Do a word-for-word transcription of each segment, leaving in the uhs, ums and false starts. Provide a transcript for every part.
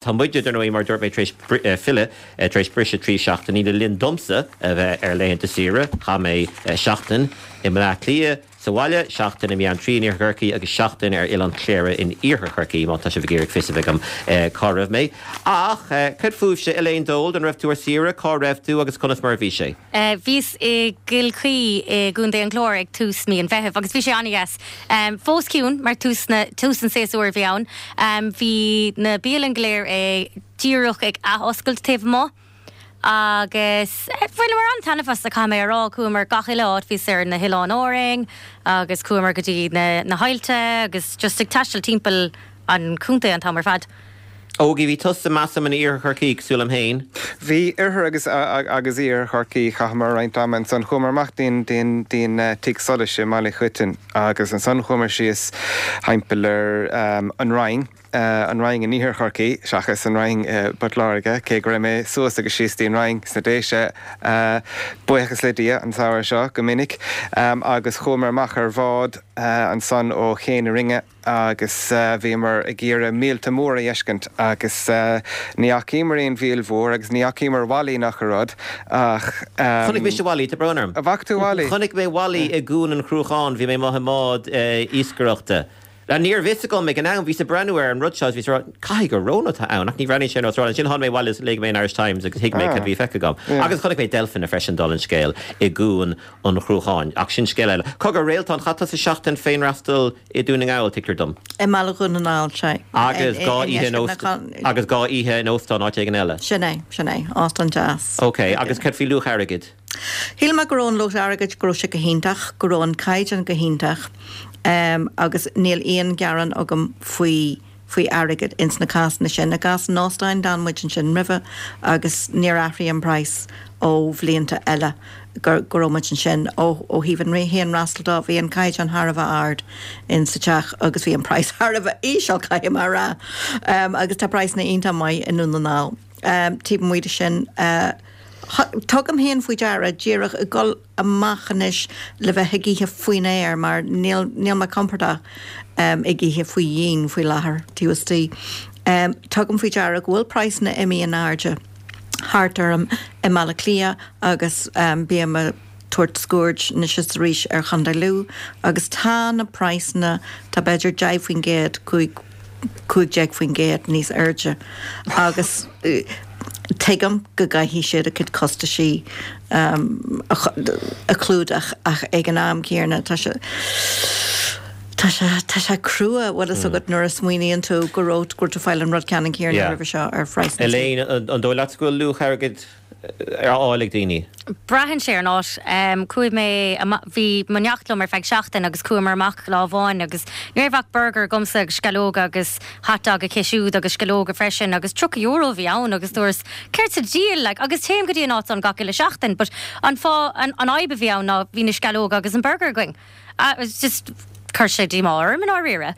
Tá muide dar ndóigh mar dúirt mé tar éis filleadh tar éis briseadh trí seachtainí le linn domsa a bheith ar laethanta saoire, chaith mé seachtain i mBleá Cliath sa bhaile, seachtain i mBeanntraí in Iarthar Chorcaí agus seachtain ar Oileán Chléire in Iarthar Chorcaí má tá sibh ag iarraidh fios a bheith agam cá raibh mé. Ach cad fúibhse Elaine Dold an raibh tú ar saoire, cá raibh tú agus conas mar a bhí sé? Bhíos i gCill Chaoi i gContae an Chláir ag tús mí an Mheithimh agus bhí sé an-deas. Fós ciúin mar tús na tús an tséasúir a bhí ann. Bhí na bialanna go léir é díreach ag athoscailt taobh amuigh agus bhaineamar an-taitneamh as a caithfidh mé a rá, chuamar gach uile áit bhíos ar na hOileáin Árainn agus chuamar go dtí na na haillte agus just ag taisteal timpeall an chontae an t-am ar fad. Ógie bhí tusa measaim in Iarthar Chorcaí cosúil liom féin. Bhí oirthear agus agus Iarthar Chorcaí chaitheamar roinnt ama ansan chuamar amach dtí'n dtí'n dtí'n tigh solais i mBaile Choitin agus ansan chuamar síos timpeall ar an Rinn an Rinn in Iarthar Chorcaí seachas an Rinn i bPort Láirge cé go raibh mé suas agus síos dtí'n Rinn sna Déise buíochas le Dia an samhradh seo go minic agus chuamar amach ar bhád ansan ó Ché na Rinne agus bhíomar ag iarraidh míolta móra a fheiscint agus ní fhacaíomar aon mhíol mhór agus ní fhacaíomar Wally nach rud ach Chonaic mise Wally tá brón orm. An bhfaca tú Wally? Chonaic mé Wally i gCuan an Chruacháin, bhí mé amuigh i mbád iascaireachta. Ní raibh fhios agam ag an am bhíos ag breathnú ar an rud seo bhí caithfidh gur rón atá ann ach ní bhreathnaíonn sé ar nós róin. Ansin tháinig mé abhaile is léigh mé an Irish Times agus thuig mé cad bhí feicthe agam. Agus chonaic mé deilfeanna freisin dála an scéil i gCuan an Chruacháin. Ach sin scéal eile. Cogar Réaltán chaith tusa seachtain féinfhreastal i Dún na nGall, tuigtear dom. I mBaile Dhún na nGall sé. Agus dhá oíche in óst agus dhá oíche in óstán áit éigin eile. Sin é, sin é, óstán deas. Ok, agus cad faoi luach airgid? Shíl mé go raibh an luach airgid go raibh sé go hiontach, go raibh an caighdeán go hiontach um, agus níl aon ghearán agam faoi faoi airgead ins na cásanna sin. I gcás an óstáin d'fhan muid ansin roimhe agus níor athraigh an praghas ó bhlianta eile go go raibh muid ansin ó ó thaobh an fhéinfhreastal de bhí an caighdeán thar a bheith ard in sa teach agus bhí an praghas thar a bheith íseal caithfidh mé a rá um, agus tá praghsanna iontach maith i nDún na nGall. Um, taobh amuigh de sin uh, Tugaim féin faoi deara díreach ag dul amach anois le bheith ag ithe faoin aer mar níl níl mé compordach um, ag ithe faoi dhíon faoi láthair taobh istigh. Um, tugaim faoi deara go bhfuil praghsanna imithe in airde thart orm i mBaile Átha Cliath agus um, bím ag tabhairt scuaird anois is arís ar Chontae Lú agus tá na praghsanna tá b'fhéidir deich faoin gcéad cúig cúig déag faoin gcéad níos airde agus uh, tuigim go gcaithfidh siad a gcuid costaisí um, a, a chlúdach ach ag an am céanna tá sé Tá sé tá sé crua bhfuil fhios agat nuair a smaoiníonn tú go raibh go tú fáil an rud ceannann céanna roimhe seo ar phraghas. Elaine an dóigh leat go bhfuil luach airgid ar fháil ag daoine. Braitheann sé ar an áit um, chuaigh mé bhí mo neacht liom ar feadh seachtain agus chuamar amach lá amháin agus ní raibh ach burger agamsa agus sceallóga agus hot dog aici siúd agus sceallóga freisin agus tríocha euro bhí ann agus dúirt céard sa diabhal like, agus téim go dtí an áit an gach uile seachtain, but an fá an, an fhadhb a bhí ann ná bhí na sceallóga agus an burger againn. Uh, it was just chuir sé díomá orm in áiríre.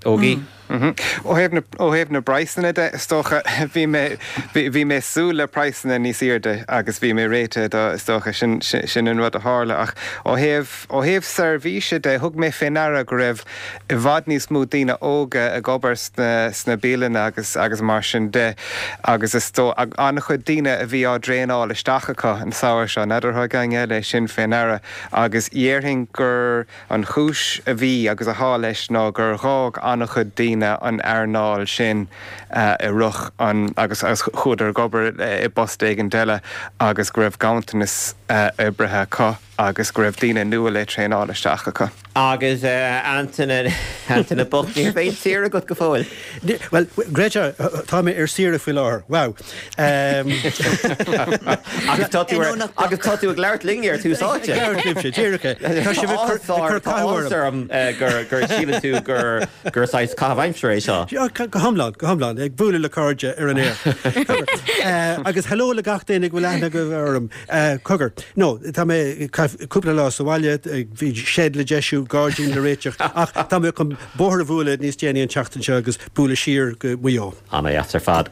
Ógie. Ó thaobh na bpraghsanna de is dócha bhí mé bhí mé súil le praghsanna níos airde agus bhí mé réitithe do is dócha sin sin an rud a tharla ach ó thaobh ó thaobh seirbhíse de thug mé faoi deara go raibh i bhfad níos mó daoine óga ag obair sna sna bialanna agus agus mar sin de agus is dó an-chuid daoine a bhí á dtraenáil isteach acu an samhradh seo n'fheadar thug éinne eile sin faoi deara agus déarfainn gur an chúis a bhí agus atá leis ná gur dh'fhág an-chuid daoine an earnáil sin i rith an agus agus chuadar ag obair i bpost éigin eile agus go raibh ganntanas oibrithe acu agus go raibh daoine nua le traenáil isteach acu. Agus Antaine Antaine bocht ní raibh aon saoire agat go fóill. Well Greta tá mé ar saoire faoi láthair. Wow. Agus tá tú agus tá tú ag labhairt linn ar Tús Áite. Tá sé orm gur gur síleann tú gur gur saghas caitheamh aimsire é seo. Go hiomlán go hiomlán ag bualadh le cairde ar an aer. Agus hello le gach duine go bhfuil aithne agaibh orm. Cogar. No, tá mé cúpla lá sa bhaile bhí shed le deisiú gairdín le réiteach ach tá mé chun bóthar a bhualadh níos déanaí an tseachtain seo agus bualadh siar go Maigh Eo. Ana-dheas ar fad.